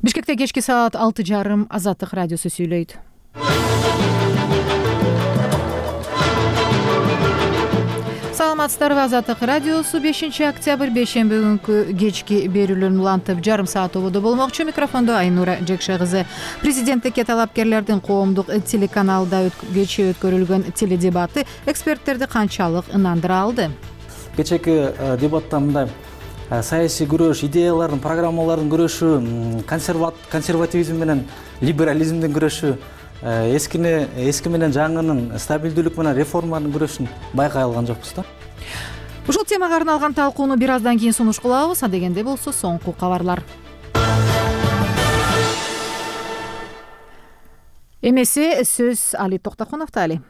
Бишкекте кечки саат 6:30 Азаттык радиосу сүйлөйт. Саламатсыздарбы, Азаттык радиосу 5-октябрь бейшемби күнкү кечки берүүлөрүн улантып жарым саат ободо болмокчу. Микрофондо Айнура Жекше кызы. Президенттикке талапкерлердин коомдук телеканалда кечээ өткөрүлгөн теледебаты эксперттерди канчалык ынандыра алды? Кечээки дебатта мындай саясий күрөш, идеялардын, программалардын күрөшү, консервативизм менен либерализмдин күрөшү, эски менен жаңынын, стабилдүүлүк менен реформанын күрөшүн байкай алган жокпуз да. Ушул темага арналган талкууну бир аздан кийин сунуш кылабыз. Адегенде болсо соңку кабарлар. Эмесе сөз Али Токтокуновдо. Али.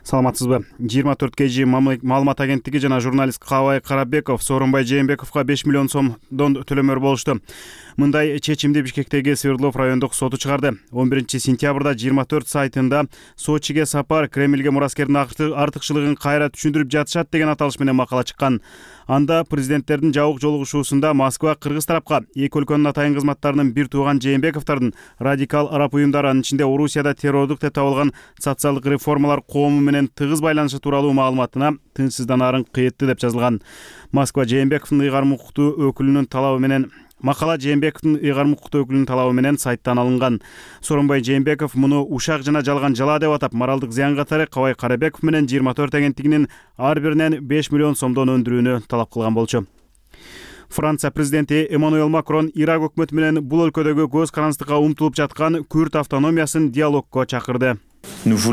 Саламатсызбы. 24 KG маалымат агенттиги жана журналист Кабай Карабеков Сооронбай Жээнбековго 5 миллион сомдон төлөмөр болушту. Мындай чечимди Бишкектеги Свердлов райондук соту чыгарды. 11 сентябрда 24 сайтында Сочиге сапар, Кремльге мураскердин артыкчылыгын кайра түшүндүрүп жатышат деген аталыш менен макала чыккан. Анда президенттердин жабык жолугушуусунда Москва кыргыз тарапка эки өлкөнүн атайын кызматтарынын бир тууган Жээнбековдордун радикал араб уюмдары, анын ичинде Орусияда террордук деп табылган социалдык реформалар коому менен тыгыз байланышы тууралуу маалыматына тынчсызданаарын кыйытты деп жазылган. Москва Жээнбековдун ыйгарым укуктуу өкүлүнүн талабы менен Макала Жээнбековдун ыйгарым укуктуу өкүлүнүн талабы менен сайттан алынган. Сооронбай Жээнбеков муну ушак жана жалган жала деп атап, моралдык зыян катары Кабай Карабеков менен 24 агенттигинин ар биринен 5 миллион сомдон өндүрүүнү талап кылган болчу. Франция президенти Эммануэл Макрон Ирак өкмөтү менен бул өлкөдөгү көз карандыкка умтулуп жаткан Күрд автономиясын диалогко чакырды. Биз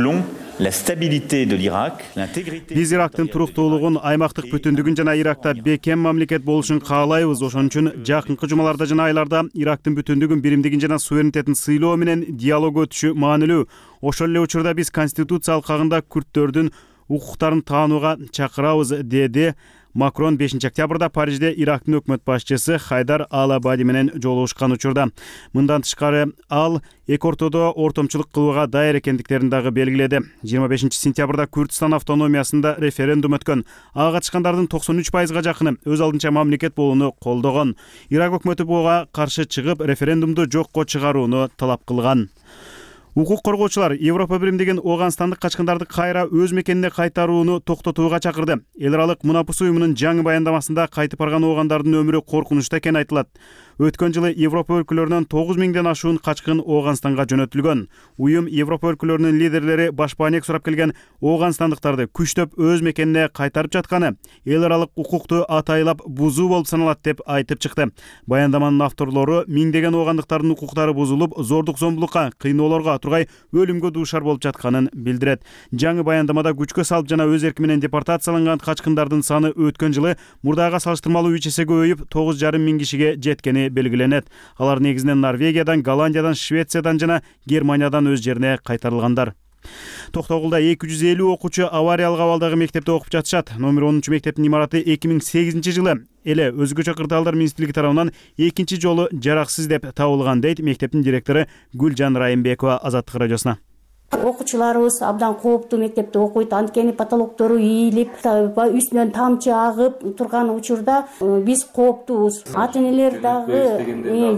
Ирактын туруктуулугун, аймактык бүтүндүгүн жана Иракта бекем мамлекет болушун каалайбыз. Ошон үчүн жакынкы жумаларда жана айларда Ирактын бүтүндүгүн, биримдигин жана суверенитетин сыйлоо менен диалог өтүшү маанилүү. Ошол эле учурда биз конституция алкагында күрдтөрдүн укуктарын таанууга чакырабыз, деди Макрон 5-октябрда Парижде Ирактын өкмөт башчысы Хайдар Ал-Абади менен жолугушкан учурда. Мындан тышкары ал эки ортодо ортомчулук кылууга даяр экендиктерин дагы белгиледи. 25 сентябрда Күрдстан автономиясында референдум өткөн. Ага катышкандардын 93%га жакыны өз алдынча мамлекет болууну колдогон. Ирак өкмөтү буга каршы чыгып, референдумду жокко чыгарууну талап кылган. Укук коргоочулар Европа биримдигин Ооганстандык качкындарды кайра өз мекенине кайтарууну токтотууга чакырды. Эл аралык мунапыс уюмунун жаңы баяндамасында кайтып барган оогандардын өмүрү коркунучта экени айтылат. Өткөн жылы Европа өлкөлөрүнөн 9000ден ашуун качкын Ооганстанга жөнөтүлгөн. Уюм Европа өлкөлөрүнүн лидерлери башпаанек сурап келген ооганстандыктарды күчтөп өз мекенине кайтарып жатканы эл аралык укукту атайлап бузуу болуп саналат деп айтып чыкты. Баяндаманын авторлору миңдеген оогандыктардын укуктары бузулуп, зордук зомбулукка, кыйноолорго тургай өлүмгө дуушар болуп жатканын билдирет. Жаңы баяндамада күчкө салып жана өз эрки менен депортацияланган качкындардын саны өткөн жылы мурдага салыштырмалуу 3 эсе көбөйүп 9,5 миң кишиге жеткени белгиленет. Алар негизинен Норвегиядан, Голландиядан, Швециядан жана Германиядан өз жерине кайтарылгандар. Токтогулда 250 окуучу авариялык абалдагы мектепте окуп жатышат. Номер 10 мектептин имараты 2008 жылы эле өзгөчө кырдаалдар министрлиги тарабынан экинчи жолу жараксыз деп табылган, дейт мектептин директору Гүлжан Райымбекова Азаттык радиосуна. Окуучуларыбыз абдан кооптуу мектепте окуйт, анткени потолоктору ийилип, үстүнөн тамчы агып турган учурда биз кооптуубуз. Ата-энелер дагы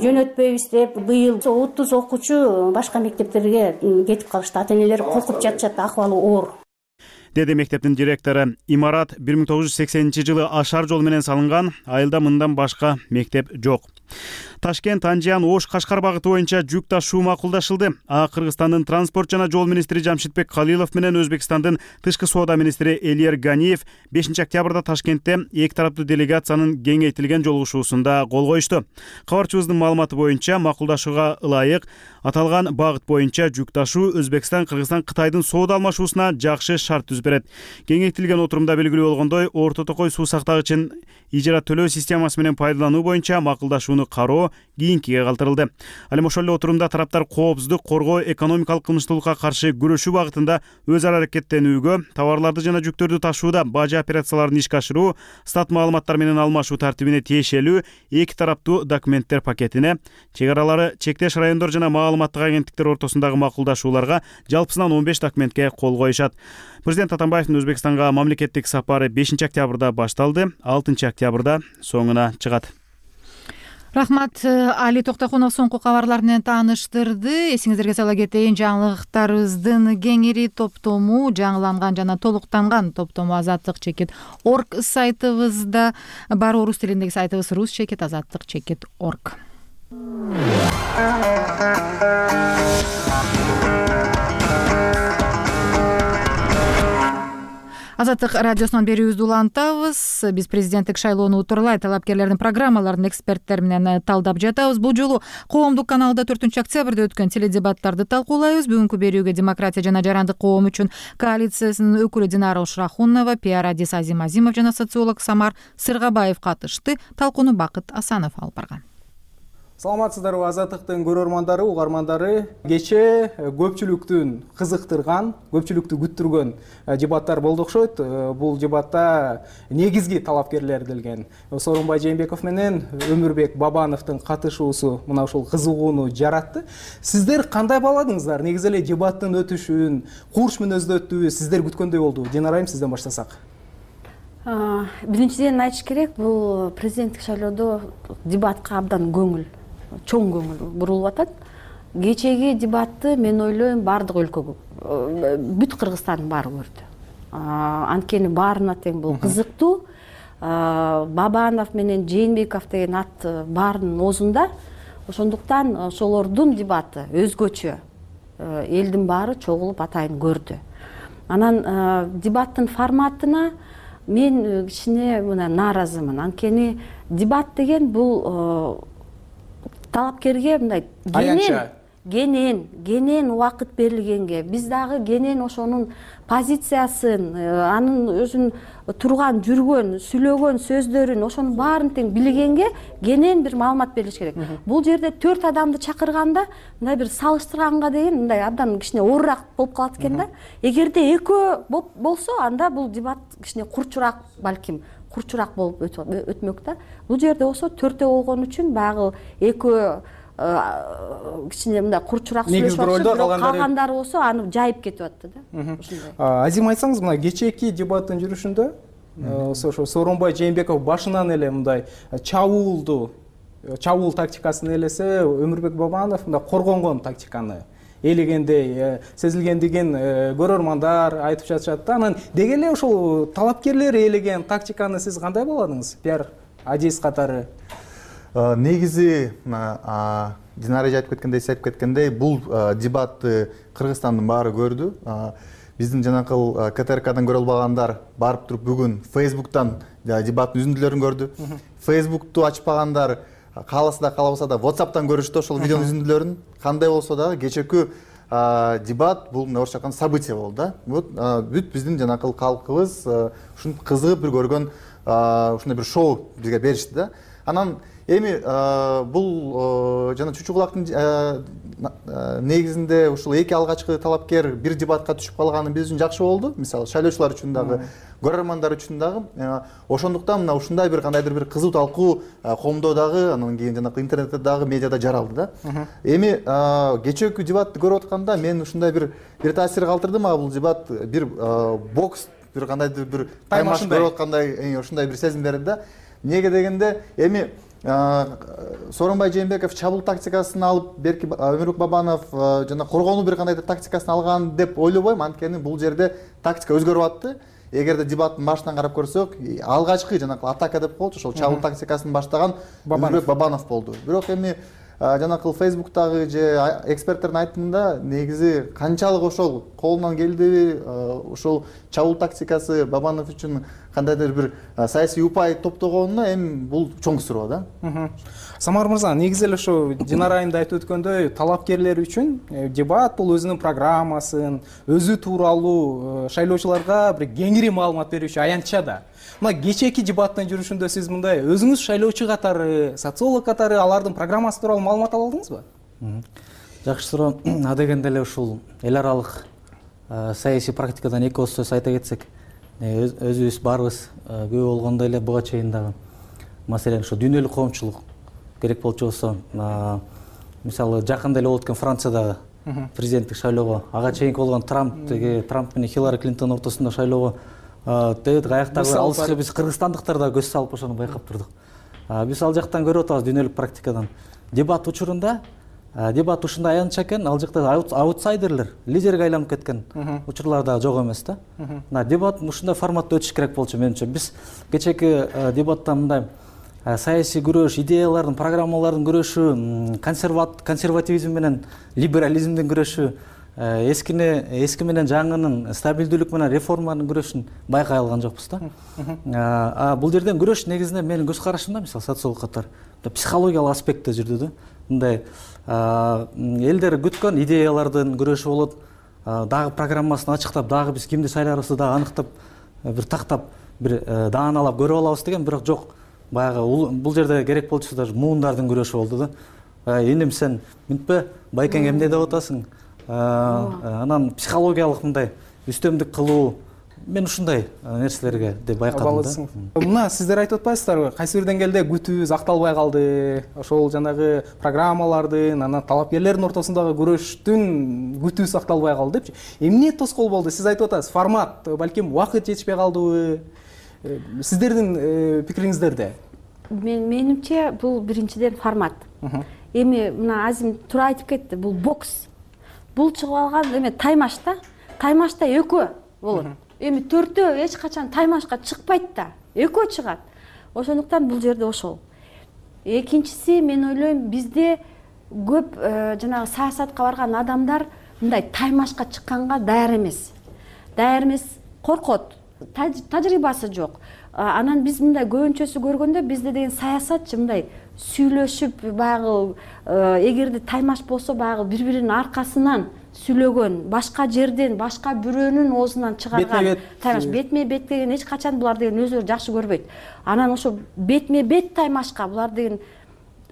жөнөтпөйбүз деп быйыл 30 окуучу башка мектептерге кетип калышты. Ата-энелер коркуп жатышат, акыбалы оор, деди мектептин директору. Имарат 1980 жылы ашар жол менен салынган, айылда мындан башка мектеп жок. Ташкент, Анжан, Ош, Кашкар багыты боюнча жүк ташуу макулдашылды. Кыргызстандын транспорт жана жол министри Жамшитбек Калилов менен Өзбекстандын тышкы соода министри Эльер Ганиев 5-октябрда Ташкентте эки тараптуу делегациянын кеңейтилген жолугушуусунда кол коюшту. Кабарчыбыздын маалыматы боюнча макулдашууга ылайык аталган багыт боюнча жүк ташуу Өзбекстан, Кыргызстан, Кытайдын соода алмашуусуна жакшы шарт түзүп берет. Кеңейтилген отурумда белгилүү болгондой, орто токой суу сактагычын ижара төлөө системасы менен пайдалануу боюнча макулдашууну кароо кийинкиге калтырылды. Ал эми ошол эле отурумда тараптар коопсуздук коргоо, экономикалык кылмыштуулукка каршы күрөшүү багытында өз ара аракеттенүүгө, товарларды жана жүктөрдү ташууда бажа операцияларын ишке ашыруу, стат маалыматтар менен алмашуу тартибине тиешелүү эки тараптуу документтер пакетине, чек аралары чектеш райондор жана маалыматтык агенттиктер ортосундагы макулдашууларга жалпысынан 15 документке кол коюшат. Президент Атамбаевдин Өзбекстанга мамлекеттик сапары 5-октябрда башталды, 6-октябрда соңуна чыгат. Рахмат. Али Токтокунов соңку кабарлар менен тааныштырды. Эсиңиздерге сала кетейин, жаңылыктарыбыздын кеңири топтому, жаңыланган жана толуктанган топтому Азаттык чекит орг сайтыбызда бар. Орус тилиндеги сайтыбыз рус чекит азаттык чекит орг. Азаттык радиосунан берүүбүздү улантабыз. Биз президенттик шайлоону утурлай талапкерлердин программаларын эксперттер менен талдап жатабыз. Бул жолу коомдук каналда 4-октябрда өткөн теледебаттарды талкуулайбыз. Бүгүнкү берүүгө Демократия жана жарандык коом үчүн коалициясынын өкүлү Динара Ушрахунова, пиар адис Азим Азимов жана социолог Самар Сыргабаев катышты. Талкууну Бакыт Асанов алып барган. Саламатсыздарбы Азаттыктын көрөрмандары, угармандары. Кечээ көпчүлүктүн кызыктырган, көпчүлүктү күттүргөн дебаттар болду окшойт. Бул дебатта негизги талапкерлер келген. Сооронбай Жээнбеков менен Өмүрбек Бабановдун катышуусу мына ушул кызыгууну жаратты. Сиздер кандай бааладыңыздар? Негизи эле дебаттын өтүшүн, курч мүнөздө өттүбү? Сиздер күткөндөй болду? Динара айым, сизден баштасак. Биринчиден айтыш керек, бул президенттик шайлоодо дебатка абдан чоң көңүл бурулуп атат. Кечеги дебатты мен ойлойм баардык өлкө, бүт Кыргызстандын баары көрдү. Анткени баарына тең бул кызыктуу. Бабанов менен Жээнбеков деген ат баарынын оозунда. Ошондуктан ошолордун дебаты өзгөчө. Элдин баары чогулуп атайын көрдү. Анан дебаттын форматына мен кичине мына нааразымын. Анткени дебат деген бул талапкерге мындай кенен убакыт берилгенге, биз дагы кенен ошонун позициясын, анын өзүн турган, жүргөн, сүйлөгөн сөздөрүн, ошонун баарын тең билгенге кенен бир маалымат берилиш керек. Бул жерде 4 адамды чакырганда мындай бир салыштырганга деген мындай абдан кичине оорураак болуп калат экен да. Эгерде экөө болсо, анда бул дебат кичине курчураак, балким курчураак болуп өтмөк да. Бул жерде болсо 4 болгон үчүн багы экөө кичине мындай курчураак сүйлөшүп, калгандары болсо аны жайып кетип атты да. Азим, айтсаңыз, мына кечээки дебаттын жүрүшүндө ошо Сооронбай Жээнбеков башынан эле мындай чабуул тактикасын элесе, Өмүрбек Бабанов мындай коргонгон тактиканы элегендей сезилгендигин көрөрмандар айтып жатышат да. Анан деги эле ошол талапкерлер элеген тактиканы сиз кандай бааладыңыз? Пиар адис катары. Негизи Динара айтып кеткендей, сиз айтып кеткендей, бул дебатты Кыргызстандын баары көрдү. Биздин жанакыл КТРКдан көрө албагандар барып туруп бүгүн Facebook'тан дебаттын үзүндүлөрүн көрдү. Facebook'ту ачпагандар кааласа да каалабаса да WhatsApp'тан көрүштү ошол видеонун үзүндүлөрүн. Кандай болсо дагы кечээкү дебат бул орусча айтканда событие болду да. Бүт биздин жанакыл калкыбыз ушун кызыгып бир көргөн ушундай бир шоу бизге беришти да. Анан эми бул жана Чучу Кулактын негизинде ушул эки алгачкы талапкер бир дебатка түшүп калганы биз үчүн жакшы болду. Мисалы шайлоочулар үчүн дагы, көрөрмандар үчүн дагы. Ошондуктан мына ушундай бир кандайдыр бир кызуу талкуу коомдо дагы, анан кийин жанагы интернетте дагы, медиада жаралды да. Эми кечээкү дебатты көрүп атканда мен ушундай бир таасир калтырды мага бул дебат, бир бокс, бир кандайдыр бир таймаш көрүп аткандай ушундай бир сезим берди да. Неге дегенде эми Сооронбай Жээнбеков чабуул тактикасын алып, берки Өмүрбек Бабанов жана коргонуу бир кандайдыр тактикасын алган деп ойлобойм, анткени бул жерде тактика өзгөрүп атты. Эгерде дебаттын башынан карап көрсөк, алгачкы жанакы атака деп коет, ошол чабуул тактикасын баштаган Өмүрбек Бабанов болду. Бирок эми жанакыл Facebook'тагы же эксперттердин айтымында негизи канчалык ошол колунан келдиби, ошол чабуул тактикасы Бабанов үчүн кандайдыр бир саясий упай топтогонуна эми бул чоң суроо да. Самар мырза, негизи эле ошо Динара айымда айтып өткөндөй, талапкерлер үчүн дебат бул өзүнүн программасын, өзү тууралуу шайлоочуларга бир кеңири маалымат берүүчү аянтча да. Мына кечээки дебаттын жүрүшүндө сиз мындай өзүңүз шайлоочу катары, социолог катары алардын программасы тууралуу маалымат ала алдыңызбы? Жакшы суроо. Адегенде эле ушул эл аралык саясий практикадан эки ооз сөз айта кетсек, өзүбүз барыбыз күбө болгондой эле буга чейин дагы маселен ошо дүйнөлүк коомчулук керек болчу болсо, мисалы жакында эле болуп өткөн Франциядагы президенттик шайлоого, ага чейинки болгон Трамп менен Хиллари Клинтон ортосунда шайлоого каяктагы алыска биз кыргызстандыктар да көз салып ошону байкап турдук. Биз ал жактан көрүп атабыз дүйнөлүк практикадан. Дебат учурунда дебат ушундай аянтча экен, ал жакта аутсайдерлер, лидерге айланып кеткен учурлар да жок эмес да. Мына дебат ушундай форматта өтүш керек болчу менимче. Биз кечээки дебатта мындай саясий күрөш, идеялардын, программалардын күрөшү, консервативизм менен либерализмдин күрөшү, эски менен жаңынын, стабилдүүлүк менен реформанын күрөшүн байкай алган жокпуз да. Бул жерден күрөш негизинен менин көз карашымда, мисалы социолог катары психологиялык аспектте жүрдү да. Мындай элдер күткөн идеялардын күрөшү болот. Дагы программасын ачыктап, дагы биз кимди шайларыбызды дагы аныктап, бир тактап, бир дааналап көрүп алабыз деген, бирок жок. Баягы бул жерде керек болчу даже муундардын күрөшү болду да. Эним сен мынтпе, байкең эмне деп атасың? Анан психологиялык мындай үстөмдүк кылуу, мен ушундай нерселерге деп байкадым да. Мына сиздер айтып атпайсыздарбы, кайсы бир деңгээлде күтүүбүз акталбай калды. Ошол жанагы программалардын, анан талапкерлердин ортосундагы күрөштүн күтүүсү акталбай калды депчи. Эмне тоскоол болду? Сиз айтып атасыз, формат, балким убакыт жетишпей калдыбы? Сиздердин пикириңиздерде? Менимче бул биринчиден формат. Эми мына Азим туура айтып кетти, бул бокс. Бул чыгып алган эме таймаш да. Таймашта экөө болот. Эми төртөө эч качан таймашка чыкпайт да. Экөө чыгат. Ошондуктан бул жерде ошол. Экинчиси, мен ойлойм, бизде көп жанагы саясатка барган адамдар мындай таймашка чыкканга даяр эмес. Даяр эмес, коркот. Тажрыйбасы жок. Анан биз мындай көбүнчөсү көргөндө бизде деген саясатчы мындай сүйлөшүп, баягы эгерде таймаш болсо баягы бири-биринин аркасынан сүйлөгөн, башка жерден, башка бирөөнүн оозунан чыгарган таймаш. Бетме-бет деген эч качан булар деген өзүлөрү жакшы көрбөйт. Анан ошо бетме-бет таймашка булар деген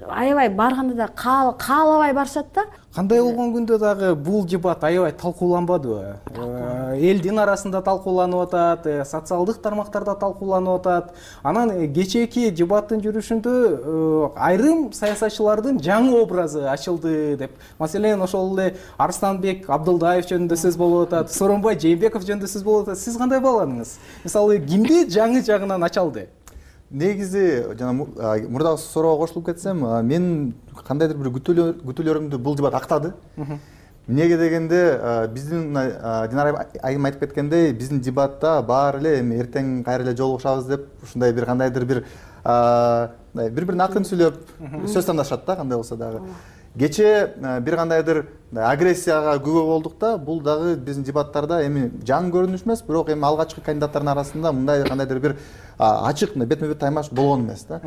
аябай барганда да каалабай барышат да. Кандай болгон күндө дагы бул дебат аябай талкууланбадыбы? Элдин арасында талкууланып атат, социалдык тармактарда талкууланып атат. Анан кечээки дебаттын жүрүшүндө айрым саясатчылардын жаңы образы ачылды деп. Маселен, ошол эле Арстанбек Абдылдаев жөнүндө сөз болуп атат, Сооронбай Жээнбеков жөнүндө сөз болуп атат. Сиз кандай бааладыңыз? Мисалы, кимди жаңы жагынан ачалды? Негизи жана мурдагы суроого кошулуп кетсем, мен кандайдыр бир күтүүлөрүмдү бул дебат актады. Эмнеге дегенде, биздин Динара айым айтып кеткендей, биздин дебатта баары эле эми эртең кайра эле жолугушабыз деп, ушундай бир кандайдыр бир бири-бирин акын сүйлөп сөз тандашат да, кандай болсо дагы. Кечээ бир кандайдыр агрессияга күбө болдук да, бул дагы биздин дебаттарда эми жаңы көрүнүш эмес, бирок эми алгачкы кандидаттардын арасында мындай кандайдыр бир ачык бетме-бет таймаш болгон эмес да.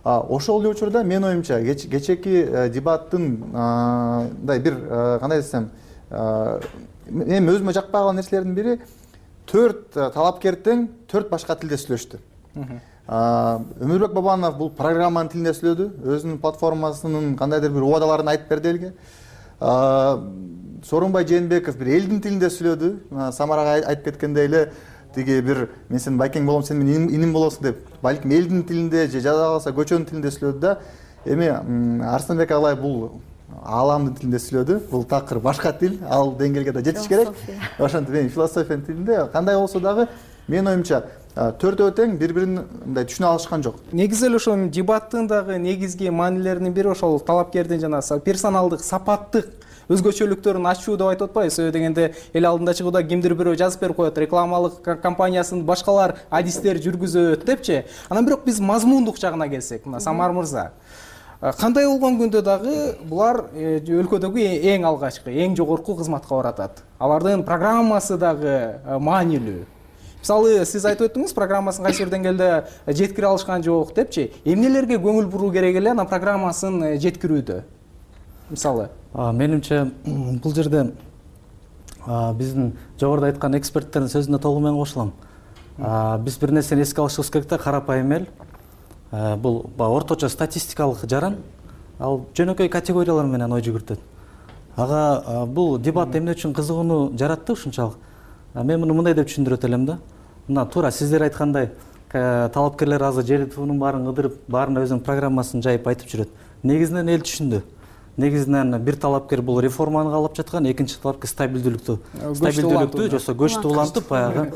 Ошол эле учурда мен оюмча кечээки дебаттын мындай бир кандай десем, эми өзүмө жакпай калган нерселердин бири 4 талапкер тең 4 башка тилде сүйлөштү. Өмүрбек Бабанов бул программанын тилинде сүйлөдү, өзүнүн платформасынын кандайдыр бир убадаларын айтып берди элге. Сооронбай Жээнбеков бир элдин тилинде сүйлөдү. Самарага айтып кеткендей эле тиги бир мен сен байкең болом, сен менин иним болосуң деп, балким элдин тилинде же жада калса көчөнүн тилинде сүйлөдү да. Эми Арстанбек агай бул ааламдын тилинде сүйлөдү. Бул такыр башка тил, ал деңгээлге да жетиш керек. Ошентип мен философиянын тилинде кандай болсо дагы мен оюмча төртөө тең бири-бирин мындай түшүнө алышкан жок. Негизи эле ошол дебаттын дагы негизги маанилеринин бири ошол талапкердин жана персоналдык, сапаттык өзгөчөлүктөрүн ачуу деп айтып атпайбыз. Себеби дегенде эл алдында чыгууда кимдир бирөө жазып берип коет, рекламалык компаниясынын башкалар адистер жүргүзөт депчи. Анан бирок биз мазмундук жагына келсек, мына Самар мырза, кандай болгон күндө дагы булар өлкөдөгү эң алгачкы, эң жогорку кызматка баратат. Алардын программасы дагы маанилүү. Мисалы, сиз айтып өттүңүз, программасын кайсы бир деңгээлде жеткире алышкан жок депчи. Эмнелерге көңүл буруу керек эле анан программасын жеткирүүдө? Мисалы, менимче бул жерде биздин жогоруда айткан эксперттердин сөзүнө толук менен кошулам. Биз бир нерсени эске алышыбыз керек да, карапайым эл. Бул орточо статистикалык жаран, ал жөнөкөй категориялар менен ой жүгүртөт. Ага бул дебат эмне үчүн кызыгууну жаратты ушунчалык? Мен муну мындай деп түшүндүрөт элем да. Мына туура сиздер айткандай, талапкерлер азыр желтоонун баарын кыдырып, баарына өзүнүн программасын жайып айтып жүрөт. Негизинен эл түшүндү. Негизинен бир талапкер бул реформаны каалап жаткан, экинчи талапкер стабилдүүлүктү, жосо көчтү улантып, баягы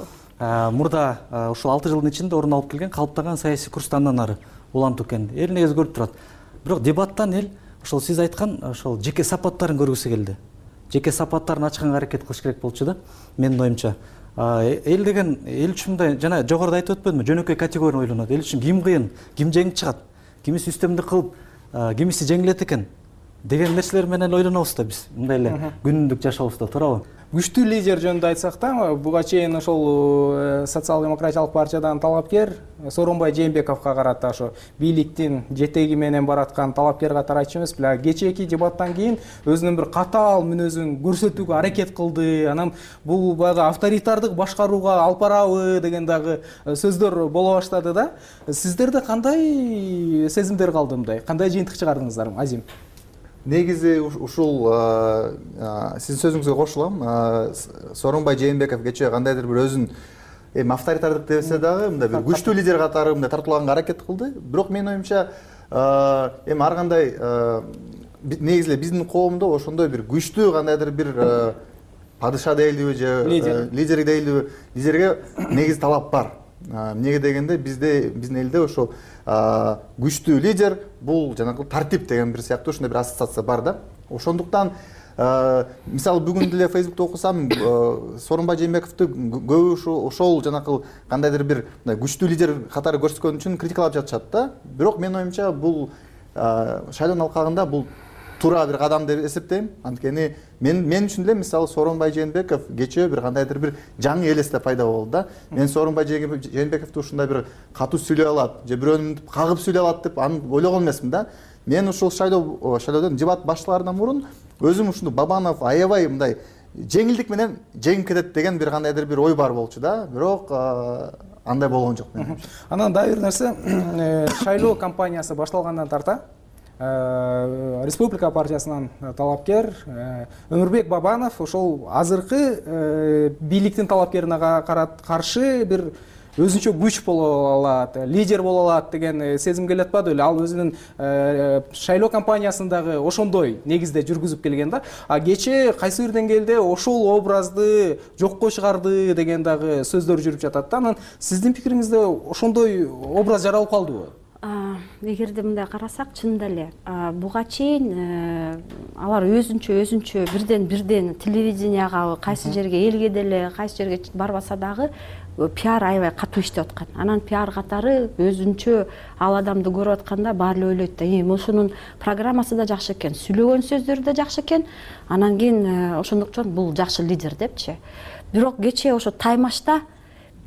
мурда ушул 6 жылдын ичинде орун алып келген калыптаган саясий курстан ары улантуу экен эл негизи көрүп турат. Бирок дебаттан эл ошол сиз айткан ошол жеке сапаттарын көргүсү келди. Жеке сапаттарын ачканга аракет кылыш керек болчу да менин оюмча. Эл деген эл үчүн мындай жана жогоруда айтып өтпөдүмбү, жөнөкөй категория ойлонот. Эл үчүн ким кыйын, ким жеңип чыгат, кимиси үстөмдүк кылып, кимиси жеңилет экен деген нерселер менен ойлонобуз да биз мындай эле күнүмдүк жашообузда, туурабы? Күчтүү лидер жөнүндө айтсак да, буга чейин ошол социал-демократиялык партиядан талапкер Сооронбай Жээнбековго карата ошо бийликтин жетеги менен бараткан талапкер катары айтчу эмеспи? Кечээки дебаттан кийин өзүнүн бир катаал мүнөзүн көрсөтүүгө аракет кылды. Анан бул баягы авторитардык башкарууга алып барабы деген дагы сөздөр боло баштады да. Сиздерде кандай сезимдер калды мындай? Кандай жыйынтык чыгардыңыздар, Азим? Негизи ушул сиздин сөзүңүзгө кошулам. Сооронбай Жээнбеков кечээ кандайдыр бир өзүн эми авторитардык десе дагы мындай бир күчтүү лидер катары мындай тартуулаганга аракет кылды. Бирок менин оюмча эми ар кандай негизи эле биздин коомдо ошондой бир күчтүү кандайдыр бир падыша дейлиби же лидер дейлиби, лидерге негизи талап бар. Эмнеге дегенде биздин элде ошо күчтүү лидер бул жанагы тартип деген бир сыяктуу ушундай бир ассоциация бар да. Ошондуктан мисалы бүгүн деле Facebook'та окусам Сооронбай Жээнбековду көбү ошол жанагы кандайдыр бир күчтүү лидер катары көрсөткөн үчүн критикалап жатышат да. Бирок менин оюмча бул шайлоонун алкагында бул туура бир кадам деп эсептейм. Анткени мен үчүн деле мисалы Сооронбай Жээнбеков кечээ бир кандайдыр бир жаңы элесте пайда болду да. Мен Сооронбай Жээнбековду ушундай бир катуу сүйлөй алат же бирөөнү кагып сүйлөй алат деп аны ойлогон эмесмин да. Мен ушул шайлоодон дебат башталаарынан мурун өзүм ушуну Бабанов аябай мындай жеңилдик менен жеңип кетет деген бир кандайдыр бир ой бар болчу да. Бирок андай болгон жок менин. Анан дагы бир нерсе, шайлоо кампаниясы башталгандан тарта Республика партиясынан талапкер Өмүрбек Бабанов ошол азыркы бийликтин талапкерине каршы бир өзүнчө күч боло алат, лидер боло алат деген сезим келип атпады беле? Ал өзүнүн шайлоо кампаниясын дагы ошондой негизде жүргүзүп келген да. Кечээ кайсы бир деңгээлде ошол образды жокко чыгарды деген дагы сөздөр жүрүп жатат да. Анан сиздин пикириңизде ошондой образ жаралып калдыбы? Эгерде мындай карасак, чынында эле буга чейин алар өзүнчө бирден телевиденияга, кайсы жерге элге деле, кайсы жерге барбаса дагы пиар аябай катуу иштеп аткан. Анан пиар катары өзүнчө ал адамды көрүп атканда баары эле ойлойт да, ошонун программасы да жакшы экен, сүйлөгөн сөздөрү да жакшы экен. Анан кийин ошондуктан бул жакшы лидер депчи. Бирок кечээ ошо таймашта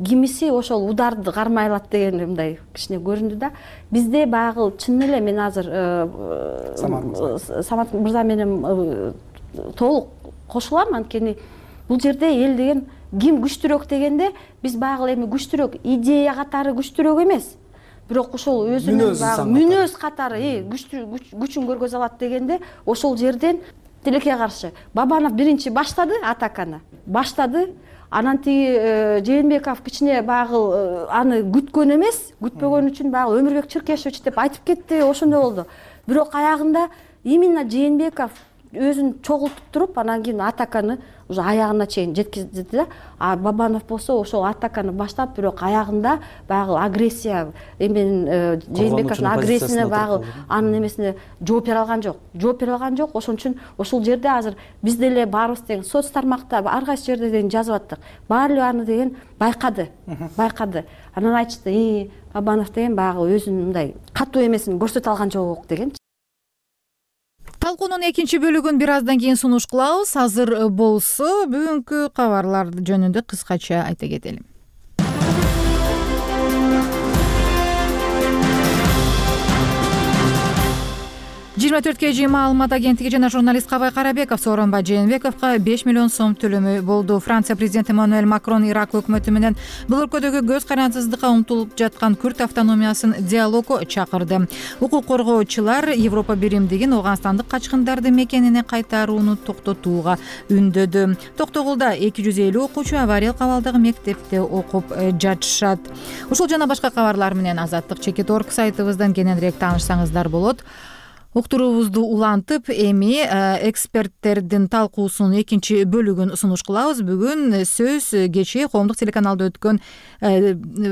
кимиси ошол ударды кармай алат деген мындай кичине көрүндү да. Бизде баягы чын эле мен азыр Самат мырза менен толук кошулам, анткени бул жерде эл деген ким күчтүүрөөк дегенде биз баягы эми күчтүүрөөк идея катары күчтүүрөөк эмес, бирок ошол өзүнүн баягы мүнөз катары күчүн көргөзө алат дегенде ошол жерден тилекке каршы Бабанов биринчи баштады, атаканы баштады. Анан тиги Жээнбеков кичине баягы аны күткөн эмес, күтпөгөн үчүн баягы Өмүрбек Чыркешевич деп айтып кетти, ошондой болду. Бирок аягында именно Жээнбеков өзүн чогултуп туруп, анан кийин атаканы уже аягына чейин жеткизди да. А Бабанов болсо ошол атаканы баштап, бирок аягында баягы агрессия, эми Жээнбековдун агрессиясына баягы анын эмесине жооп бере алган жок. Ошон үчүн ошол жерде азыр биз деле баарыбыз деген соц тармакта ар кайсы жерде деген жазып аттык. Баары эле аны деген байкады. Анан айтышты, Бабанов деген баягы өзүнүн мындай катуу эмесин көрсөтө алган жок деген. Талкуунун экинчи бөлүгүн бир аздан кийин сунуш кылабыз. Азыр болсо бүгүнкү кабарлар жөнүндө кыскача айта кетели. 24 kg маалымат агенттиги жана журналист Кабай Карабеков Сооронбай Жээнбековго 5 миллион сом төлөмөй болду. Франция президенти Эммануэль Макрон Ирак өкмөтү менен бул өлкөдөгү көз карансыздыкка умтулуп жаткан Күрд автономиясын диалогго чакырды. Укук коргоочулар Европа биримдигин Ооганстандык качкындарды мекенине кайтарууну токтотууга үндөдү. Токтогулда 250 окуучу авариялык абалдагы мектепте окуп жатышат. Ушул жана башка кабарлар менен Азаттык.org сайтыбыздан кененирээк таанышсаңыздар болот. Уктуруубузду улантып, эми эксперттердин талкуусунун экинчи бөлүгүн сунуш кылабыз. Бүгүн сөз кечээ коомдук телеканалда өткөн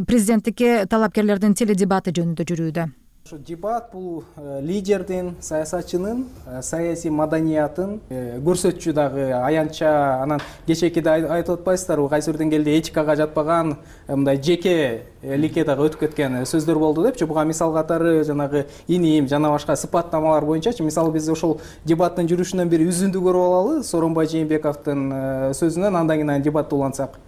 президенттикке талапкерлердин теледебаты жөнүндө жүрүүдө. Дебат бул лидердин, саясатчынын саясий маданиятын көрсөтчү дагы аянтча. Анан кечээкиде айтып атпайсыздарбы, кайсы бир деңгээлде этикага жатпаган мындай жекеликке дагы өтүп кеткен сөздөр болду депчи. Буга мисал катары жанагы иним жана башка сыпаттамалар боюнчачы. Мисалы биз ошол дебаттын жүрүшүнөн бир үзүндү көрүп алалы Сооронбай Жээнбековдун сөзүнөн, андан кийин дебатты улантсак.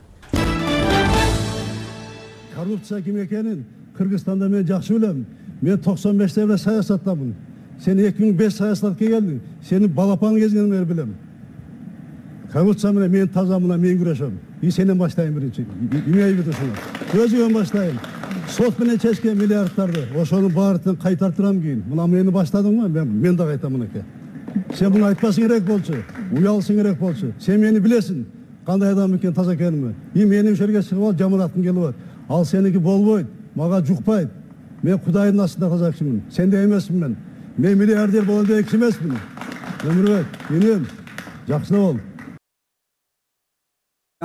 Коррупция ким экенин Кыргызстанда мен жакшы билем. Мен 95-те эле саясаттамын. Сен 2005 саясатка келдиң. Сени балапан кезинен бери билем. Коррупция менен мен тазамына мен күрөшөм. Сенен баштайын биринчи. Эмне бүтөсүң? Өзүмөн баштайын. Сот менен чечкен миллиардтарды ошонун баарын кайтартырам кийин. Мына мени баштадыңбы? Мен да кайтам мынакей. Сен буну айтпасың керек болчу. Уялсың керек болчу. Сен мени билесиң. Кандай адам экен, таза экенимди. Менин жерге чыгып ал жаманаткың келип атат. Ал сеники болбойт. Мага жукпайт. Мен Кудайдын астында таза кишимин. Сенде эмесмин мен. Мен миллиардер болом деген киши эмесмин. Өмүрбек, менин жакшы бол.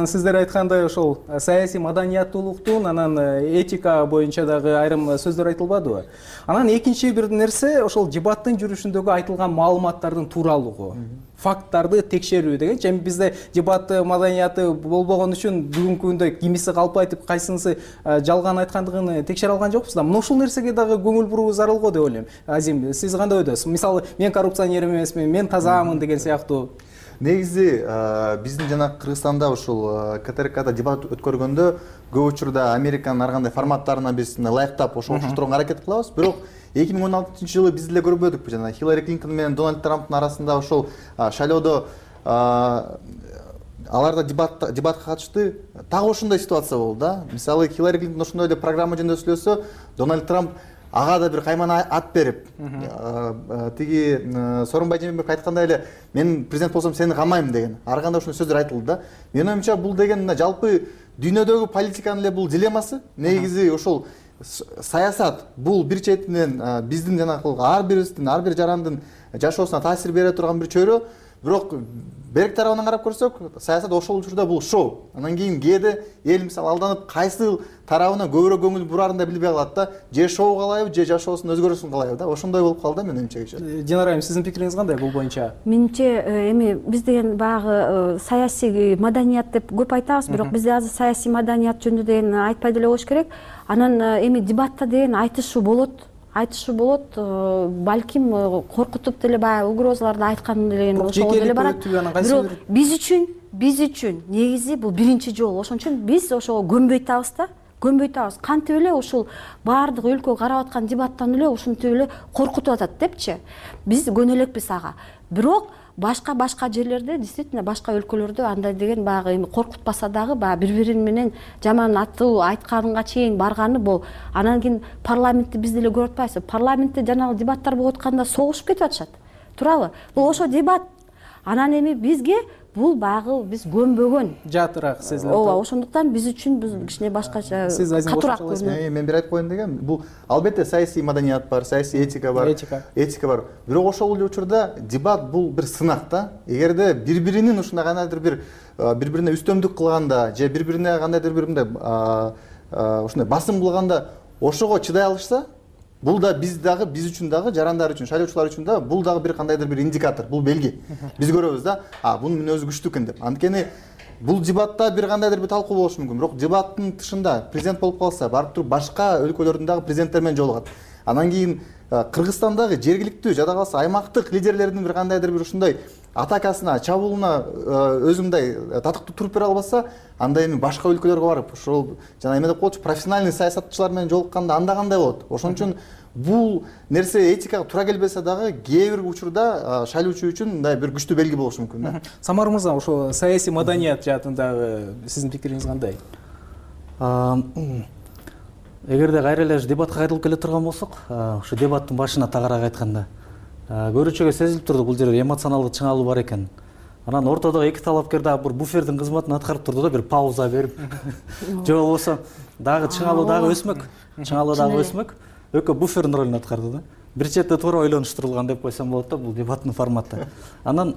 Сиздер айткандай ошол саясий маданияттуулуктун, анан этика боюнча дагы айрым сөздөр айтылбадыбы? Анан экинчи бир нерсе ошол дебаттын жүрүшүндөгү айтылган маалыматтардын тууралыгы, факттарды текшерүү деген. Эми бизде дебат маданияты болбогон үчүн бүгүнкү күндө кимиси калп айтып, кайсынысы жалган айткандыгын текшере алган жокпуз да. Мына ушул нерсеге дагы көңүл буруу зарыл го деп ойлойм. Азим, сиз кандай ойдосуз? Мисалы, мен коррупционер эмесмин, мен тазамын деген сыяктуу. Негизи биздин жана Кыргызстанда ушул КТРКда дебат өткөргөндө көп учурда Американын ар кандай форматтарына биз ылайыктап ошого окшоштурганга аракет кылабыз. Бирок 2016-жылы биз деле көрбөдүкпү, жана Хиллари Клинтон менен Дональд Трамптын арасында ошол шайлоодо аларда дебатка катышты. Так ошондой ситуация болду да. Мисалы, Хиллари Клинтон ошондой эле программа жөнүндө сүйлөсө, Дональд Трамп ага да бир кайман ат берип, тиги Сооронбай Жээнбеков айткандай эле, мен президент болсом сени камайм деген. Ар кандай ошондой сөздөр айтылды да. Менин оюмча бул деген жалпы дүйнөдөгү политиканын эле бул дилеммасы. Негизи ошол саясат бул бир четинен биздин жанагы ар бирибиздин, ар бир жарандын жашоосуна таасир бере турган бир чөйрө. Бирок берек тарабынан карап көрсөк, саясат ошол учурда бул шоу. Анан кийин кээде эл мисалы алданып кайсы тарабына көбүрөөк көңүл бурарын да билбей калат да. Же шоу калайбы, же жашоосун өзгөрүүсүн калайбы да. Ошондой болуп калды менин оюмча кечээ. Динара айым, сиздин пикириңиз кандай бул боюнча? Менимче эми биз деген баягы саясий маданият деп көп айтабыз, бирок бизде азыр саясий маданият жөнүндө деген айтпай деле коюш керек. Анан эми дебатта деген айтышуу болот, балким коркутуп деле баягы угрозаларды айткан деген ошол деле барат. Бирок биз үчүн негизи бул биринчи жолу. Ошон үчүн биз ошого көнбөй табыз да. Кантип эле ушул баардык өлкө карап аткан дебаттан эле ушинтип эле коркутуп атат депчи. Биз көнө элекпиз ага. Бирок башка жерлерде, действительно башка өлкөлөрдө андай деген баягы эми коркутпаса дагы баягы бири-бирин менен жаман аттуу айтканга чейин барганы бул. Анан кийин парламентти биз деле көрүп атпайбызбы? Парламентте жанагы дебаттар болуп атканда согушуп кетип атышат. Туурабы? Бул ошо дебат. Анан эми бизге бул баягы биз көнбөгөн. Жатыраак сезилет. Ооба, ошондуктан биз үчүн бул кичине башкача катуураак көрүнөт. Мен бир айтып коеюн дегем, бул албетте саясий маданият бар, саясий этика бар. Этика бар. Бирок ошол эле учурда дебат бул бир сынак да. Эгерде бири-биринин ушундай кандайдыр бир бири-бирине үстөмдүк кылганда, же бири-бирине кандайдыр бир мындай ушундай басым кылганда ошого чыдай алышса, бул да биз үчүн дагы, жарандар үчүн, шайлоочулар үчүн да бул дагы бир кандайдыр бир индикатор, бул белги. Биз көрөбүз да, бунун мүнөзү күчтүү экен деп. Анткени бул дебатта бир кандайдыр бир талкуу болушу мүмкүн. Бирок дебаттын тышында президент болуп калса, барып туруп башка өлкөлөрдүн дагы президенттери менен жолугат. Анан кийин Кыргызстандагы жергиликтүү, жада калса аймактык лидерлердин бир кандайдыр бир ушундай атакасына, чабуулуна өзү мындай татыктуу туруп бере албаса, анда эми башка өлкөлөргө барып, ошол жана эме деп коечу, профессиональный саясатчылар менен жолукканда анда кандай болот? Ошон үчүн бул нерсе этикага туура келбесе дагы кээ бир учурда шайлоочу үчүн мындай бир күчтүү белги болушу мүмкүн да. Самар мырза, ошо саясий маданият жаатындагы сиздин пикириңиз кандай? Эгерде кайра эле дебатка кайтылып келе турган болсок, ошо дебаттын башына тагарак айтканда көрүүчүгө сезилип турду, бул жерде эмоционалдык чыңалуу бар экен. Анан ортодогу эки талапкер дагы бир буфердин кызматын аткарып турду да, бир пауза берип. Же болбосо дагы чыңалуу дагы өсмөк. Экөө буфердин ролун аткарды да. Бир четте туура ойлонуштурулган деп койсом болот да, бул дебаттын форматы. Анан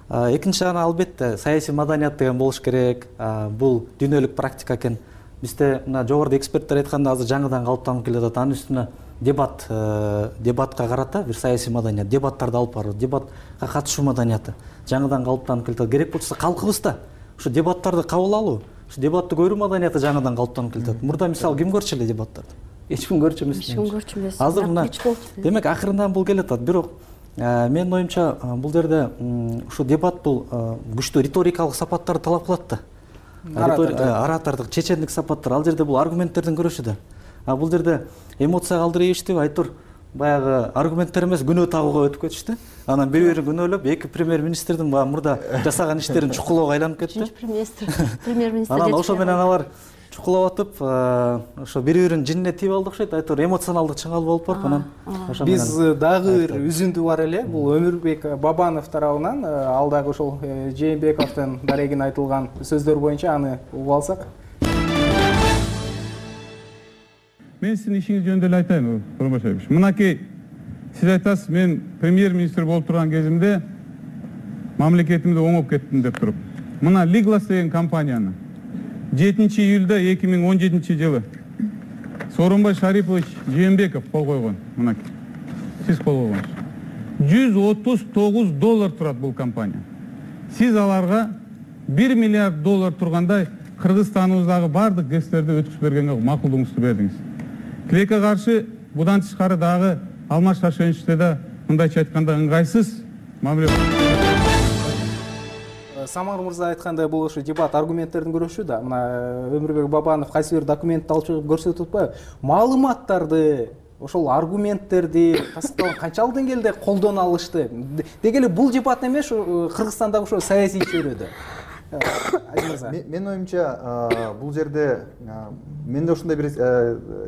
экинчи жагынан албетте саясий маданият деген болуш керек. Бул дүйнөлүк практика экен. Бизде мына жогоруда эксперттер айтканда азыр жаңыдан калыптанып келе жатат. Анын үстүнө дебатка карата бир саясий маданият, дебаттарды алып баруу, дебатка катышуу маданияты жаңыдан калыптанып келатат. Керек болсо калкыбызда ушу дебаттарды кабыл алуу, ушу дебатты көрүү маданияты жаңыдан калыптанып келатат. Мурда мисалы ким көрчү эле дебаттарды? Эч ким көрчү эмес. Эч ким көрчү эмес. Азыр мына демек акырындан бул келатат. Бирок менин оюмча бул жерде ушу дебат бул күчтүү риторикалык сапаттарды талап кылат да. Оратордук, чечендик сапаттар. Ал жерде бул аргументтердин күрөшү да. Бул жерде эмоцияга алдырыйбыштып, айтор баягы аргументтер эмес күнөө табууга өтүп кетишти. Анан бири-бирин күнөөлөп, эки премьер-министрдин баягы мурда жасаган иштерин чукулоого айланып кетти. Премьер-министр. Анан ошо менен алар чукулап атып, ошо бири-биринин жинине тийип алды окшойт. Айтор эмоционалдык чыңалып болуп барып, анан биз дагы бир үзүндү бар эле. Бул Өмүрбек Бабанов тарабынан ал дагы ошол Жээнбековдун дарегине айтылган сөздөр боюнча аны угуп алсак. Мен сиздин ишиңиз жөнүндө эле айтайын, Курманбашевич. Мынакей сиз айтасыз, мен премьер-министр болуп турган кезимде мамлекетимди оңоп кеттим деп туруп. Мына Liglas деген компанияны 7 июлда 2017 жылы Сооронбай Шарипович Жээнбеков кол койгон. Мынакей. Сиз кол койгонсуз. $139 турат бул компания. Сиз аларга $1 миллиард тургандай Кыргызстаныбыздагы бардык гэстерди өткүзүп бергенге макулдугуңузду бердиңиз. Тилекке каршы будан тышкары дагы Алмаз Шаршеновичте да мындайча айтканда ыңгайсыз мамиле. Самар мырза айткандай бул ошо дебат аргументтердин күрөшү да. Мына Өмүрбек Бабанов кайсы бир документти алып чыгып көрсөтүп атпайбы? Маалыматтарды, ошол аргументтерди тастыкталган канчалык деңгээлде колдоно алышты? Деги эле бул дебат эмес, Кыргызстандагы ошо саясий чөйрөдө. Менин оюмча бул жерде менде ушундай бир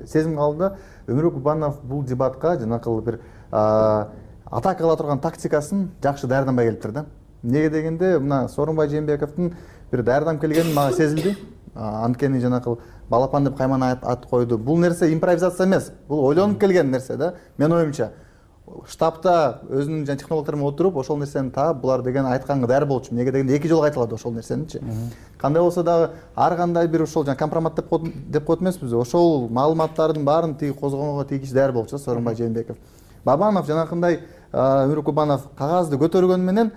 сезим калды. Өмүрбек Бабанов бул дебатка жанакы бир атака кыла турган тактикасын жакшы даярданбай келиптир да. Неге дегенде мына Сооронбай Жээнбековдун бир даярданып келгени мага сезилди. Анткени жанакы балапан деп кайман ат койду. Бул нерсе импровизация эмес. Бул ойлонуп келген нерсе да. Менин оюмча штабта өзүнүн технологдору менен отуруп ошол нерсени таап булар деген айтканга даяр болчу. Эмнеге дегенде 2 жолу айтылат ошол нерсеничи. Кандай болсо дагы ар кандай бир ошол компромат деп коет эмеспиз. Ошол маалыматтардын баарын тиги козгогонго тийгиш даяр болчу Сооронбай Жээнбеков. Бабанов жанакындай Өмүрбек Бабанов кагазды көтөргөнү менен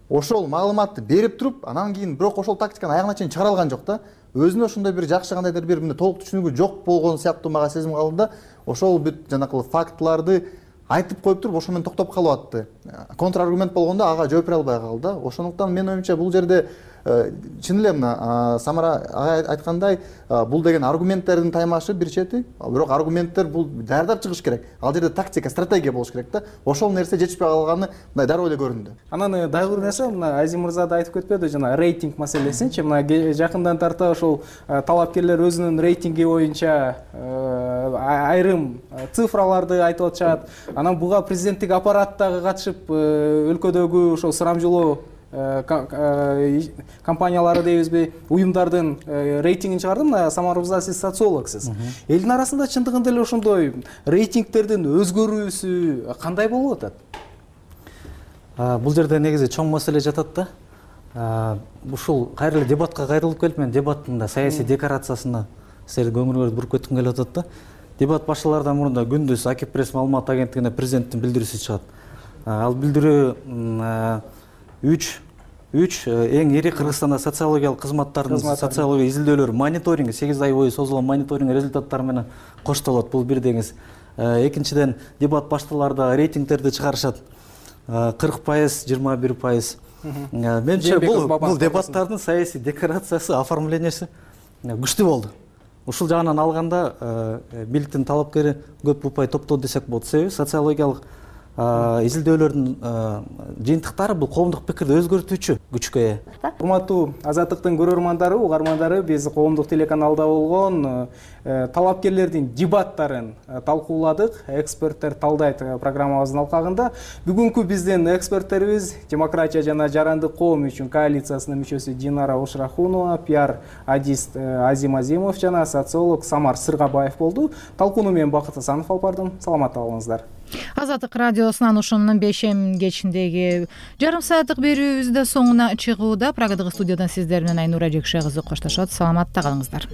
ошол маалыматты берип туруп, анан кийин бирок ошол тактиканы аягына чейин чыгара алган жок да. Өзүнө ошондой бир жакшы кандайдыр бир толук түшүнүгү жок болгон сыяктуу мага сезим калды да. Ошол бүт жанакы фактыларды айтып коюп туруп, ошо менен токтоп калып атты. Контраргумент болгондо ага жооп бере албай калды. Ошондуктан менин оюмча бул жерде чын эле мына Самара ага айткандай, бул деген аргументтердин таймашы бир чети, бирок аргументтер бул даярдап чыгыш керек. Ал жерде тактика, стратегия болуш керек да. Ошол нерсе жетишпей калганы мындай дароо эле көрүндү. Анан дагы бир нерсе, мына Азим мырза да айтып кетпеди, жана рейтинг маселесинчи. Мына жакындан тарта ошол талапкерлер өзүнүн рейтинги боюнча айрым цифраларды айтып атышат. Анан буга президенттик аппарат дагы катышып, өлкөдөгү ошол сурамжылоо компаниялары дейбизби, уюмдардын рейтингин чыгарды. Мына Самар мырза, сиз социологсуз. Элдин арасында чындыгында эле ошондой рейтингтердин өзгөрүүсү кандай болуп атат? Бул жерде негизи чоң маселе жатат да. Ушул кайра эле дебатка кайрылып келип, мен дебаттын да саясий декорациясына силердин көңүлүңөрдү буруп кетким келип атат да. Дебат башталардан мурун да күндүз Акипресс маалымат агенттигине президенттин билдирүүсү чыгат. Ал билдирүү 3 эң ири Кыргызстанда социологиялык кызматтардын социология изилдөөлөрү мониторинги 8 ай бою созулган мониторинг результаттары менен коштолот. Бул бир деңиз. Экинчиден, дебат башталарда рейтингтерди чыгарышат. 40%, 21%. Менимче бул дебаттардын саясий декорациясы, оформлениясы күчтүү болду. Ушул жагынан алганда бийликтин талапкери көп упай топтоду десек болот. Себеби социологиялык изилдөөлөрдүн жыйынтыктары бул коомдук пикирди өзгөртүүчү күчкө ээ. Урматтуу Азаттыктын көрөрмандары, угармандары, биз коомдук телеканалда болгон талапкерлердин дебаттарын талкууладык. Эксперттер талдайт программабыздын алкагында. Бүгүнкү биздин эксперттерибиз Демократия жана Жарандык коом үчүн коалициясынын мүчөсү Динара Ошрахунова, пиар адист Азим Азимов жана социолог Самар Сыргабаев болду. Талкууну мен Бакыт Асанов алып бардым. Саламатта болуңуздар. Азаттык радиосунан ушунун бейшем кечиндеги жарым сааттык берүүбүз да соңуна чыгууда. Прагадагы студиядан сиздер менен Айнура Жекше кызы коштошот. Саламатта калыңыздар.